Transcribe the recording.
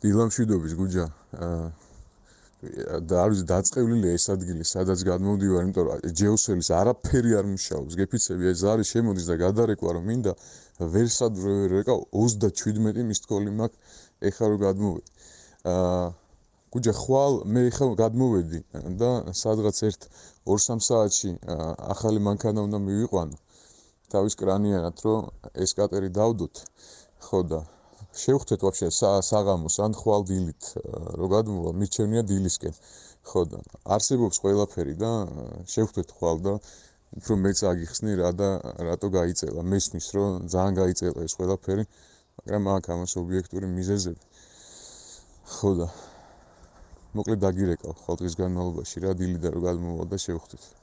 დილამშვიდობის გუჯა. და არის დაწყევლილი ეს ადგილი, სადაც გადმოვდივარ, იმიტომ რომ ჯეოსელის არაფერი არ მუშაობს. გეფიცები ეს არის შემოდის და გადარეკვა რომ მინდა ვერ სადვრევერეკა 37 მისთქოლი მაქვს ეხლა რომ გადმოვედი. გუჯა ხვალ მე ეხლა გადმოვედი და სადღაც 1-2-3 საათში ახალი მანქანა უნდა მივიყვანო. თავის კრანიანად რომ ესკატერი დავდოთ. ხო და შევხვდეთ ვაფშე საღამოს ან ხვალ დილით რო გადმოვა მიჩვენია დილისკენ. ხო და არსებობს ყველაფერი და შევხვდეთ ხვალ და უფრო მეც აგიხსნი რა და რატო გაიწელა. მესმის რომ ძალიან გაიწელა ეს ყველაფერი, მაგრამ აქ ამას ობიექტური მიზეზები. ხო და მოკლედ დაგირეკავ ხალხის განმავლობაში რა დილიდან რო გადმოვა და შევხვდეთ.